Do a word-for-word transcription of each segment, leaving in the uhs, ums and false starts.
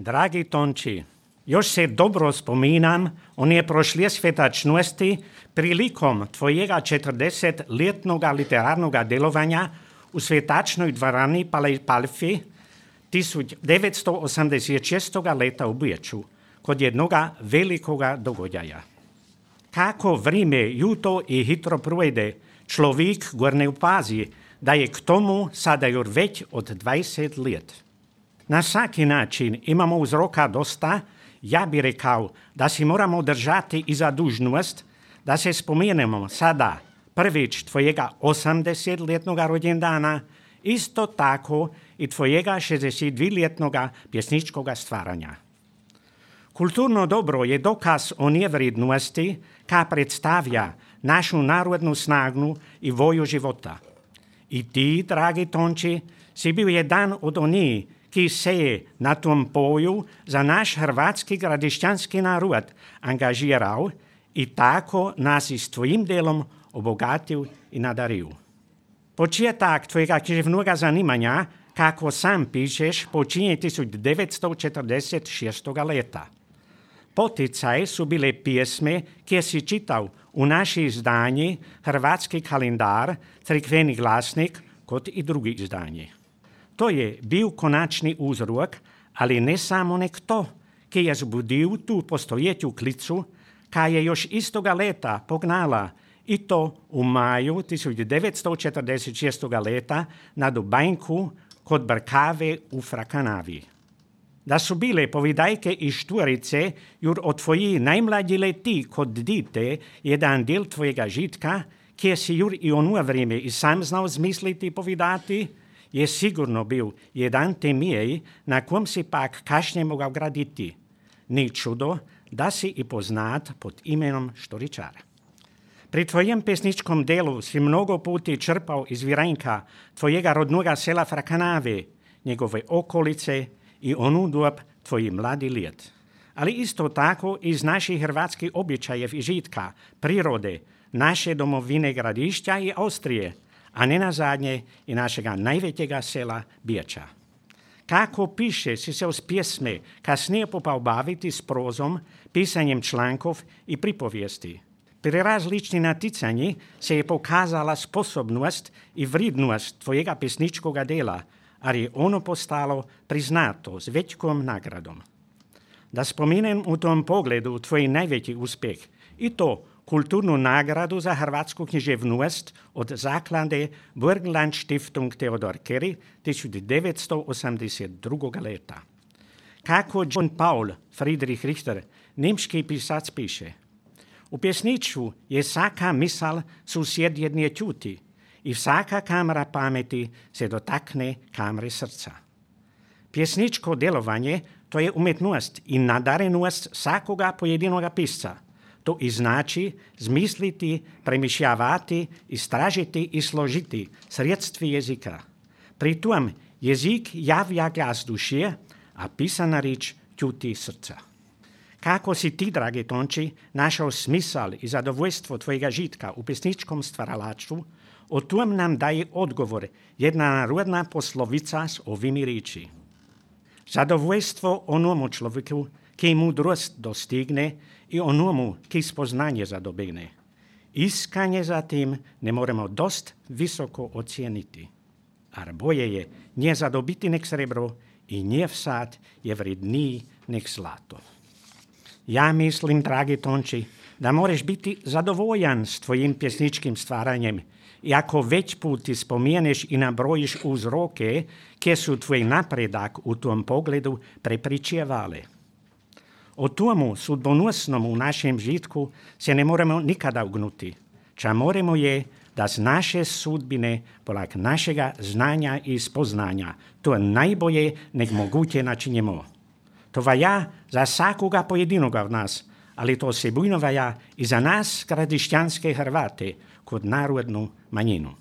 Dragi Tonči, još se dobro spominam one prošle svetačnosti prilikom tvojega četrdesetletnog literarnog delovanja u svetačnoj dvorani Palfi tisuća devetsto osamdeset šestog leta u Beču kod jednoga velikoga događaja. Kako vrijeme juto i hitro projde, človek gor ne upazi, da je k tomu sada još već od dvajset let. Na svaki način imamo uzroka dosta, ja bi rekao da si moramo držati i za dužnost, da se spomenemo sada prvič tvojega osamdesetletnog rođendana, isto tako i tvojega šezdesetdvoletnog pjesničkog stvaranja. Kulturno dobro je dokaz o nevrednosti, ka predstavlja našu narodnu snagu i voju života. I ti, dragi Tonči, si bil jedan od onih, ki se je na tom poju za naš hrvatski gradišćanski narod angažiral i tako nas i s tvojim delom obogatil i nadaril. Početak tvojega književnoga zanimanja, kako sam pišeš, počinje tisuća devetsto četrdeset šestog leta. Poticaj su bile pjesme, kje si čital u naši izdanji Hrvatski kalendar, Crkveni glasnik, kot i drugi izdanji. To je bil konačni uzrok, ali ne samo nek to, ki je zbudil tu postojetju klicu, ka je još istoga leta pognala i to u maju tisuća devetsto četrdeset šestog leta na Dubanjku kod Brkave u Frakanavi. Da su bile povidajke i štvorice jur od tvoji najmlađi leti kod dite jedan del tvojega žitka, kje si jur i ono vrijeme i sam znao zmisliti povidati, je sigurno bil jedan temij, na kom si pak kašnje mogao graditi. Ni čudo, da si i poznat pod imenom Štoričar. Pri tvojem pesničkom delu si mnogo puti črpao iz Viranjka, tvojega rodnoga sela Frakanave, njegove okolice i onu dob tvoji mladi let. Ali isto tako iz naših hrvatskih običajev i žitka, prirode, naše domovine Gradišća i Austrije, a ne na zadnje i našega najvećega sela Beča. Kako piše si se uz pjesme kasnije popao baviti s prozom, pisanjem člankov i pripovijesti. Pri različni naticanji se je pokazala sposobnost i vrednost tvojega pesničkoga dela, ali je ono postalo priznato s većkom nagradom. Da spomenem u tom pogledu tvoj najveći uspjeh i to kulturnu nagradu za hrvatsku književnost od zaklade Burgenland Stiftung Theodor Keri tisuća devetsto osamdeset drugog leta. Kako John Paul Friedrich Richter, nemški pisac, piše: u pjesniču je svaka misal susjed jedne čuti i svaka kamera pameti se dotakne kamere srca. Pjesničko delovanje to je umjetnost i nadarenost svakoga pojedinoga pisca. To i znači zmisliti, premišljavati, istražiti i složiti sredstvi jezika. Pri tom jezik javlja glas duše, a pisana rič čuti srca. Kako si ti, dragi Tonči, našao smisal i zadovoljstvo tvojega žitka u pesničkom stvaralaštvu, o tom nam daje odgovor jedna narodna poslovica s ovimi riči. Zadovoljstvo onomu človeku, ki mudrost dostigne, i onomu, ki spoznanje zadobene. Iskanje za tim ne moremo dost visoko ocijeniti. Ar boje je nje zadobiti nek srebro i nje vsad je vredniji nek zlato. Ja mislim, dragi Tonči, da moreš biti zadovoljan s tvojim pjesničkim stvaranjem i ako već puti spomeneš i nabrojiš uzroke, kje su tvoj napredak u tom pogledu prepričevale. O tomu sudbonosnom u našem žitku se ne moramo nikada ugnuti. Ča moramo je da z naše sudbine polag našega znanja i spoznanja to najbolje nek moguće načinjemo. To vaja za svakoga pojedinoga od nas, ali to se bujno vaja i za nas gradišćanske Hrvate kod narodnu manjinu.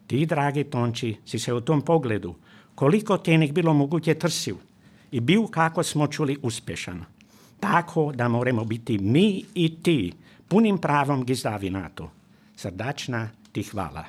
Ti, dragi Tonči, si se u tom pogledu, koliko te nek bilo moguće trsiv i bil, kako smo čuli, uspješan. Tako da moramo biti mi i ti punim pravom gizdavi na to. Srdačna ti hvala.